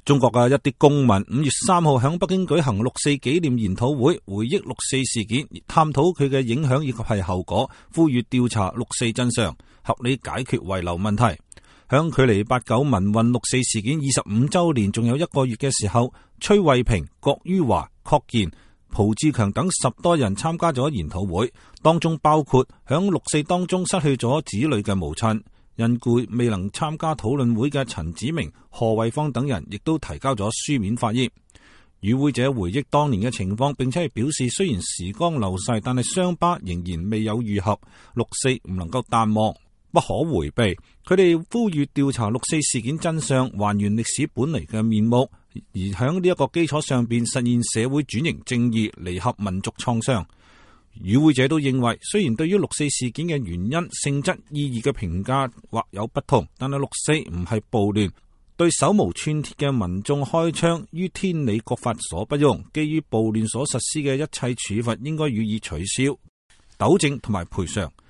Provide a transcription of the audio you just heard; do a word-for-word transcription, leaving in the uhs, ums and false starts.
中國嘅一啲公民五月三號喺北京舉行六四紀念研討會，回憶六四事件，探討佢嘅影響以及係後果，呼籲調查六四真相，合理解決遺留問題。響距離八九民運六四事件二十五周年仲有一個月嘅時候，崔慧平、郭于華、郝建、蒲志強等十多人參加咗研討會，當中包括響六四當中失去咗子女嘅母親。因故未能參加討論會嘅陳子明、何衛方等人，亦都提交咗書面發言。與會者回憶當年嘅情況，並且係表示，雖然時光流逝，但係傷疤仍然未有愈合，六四唔能夠淡忘，不可回避。佢哋呼籲調查六四事件真相，還原歷史本嚟嘅面目，而喺呢一個基礎上邊實現社會轉型正義，彌合民族創傷。與會者都認為，雖然對於六四事件嘅原因、性質、意義嘅評價或有不同，但係六四唔係暴亂，對手無寸鐵嘅民眾開槍於天理國法所不容，基於暴亂所實施嘅一切處罰應該予以取消、糾正同埋賠償。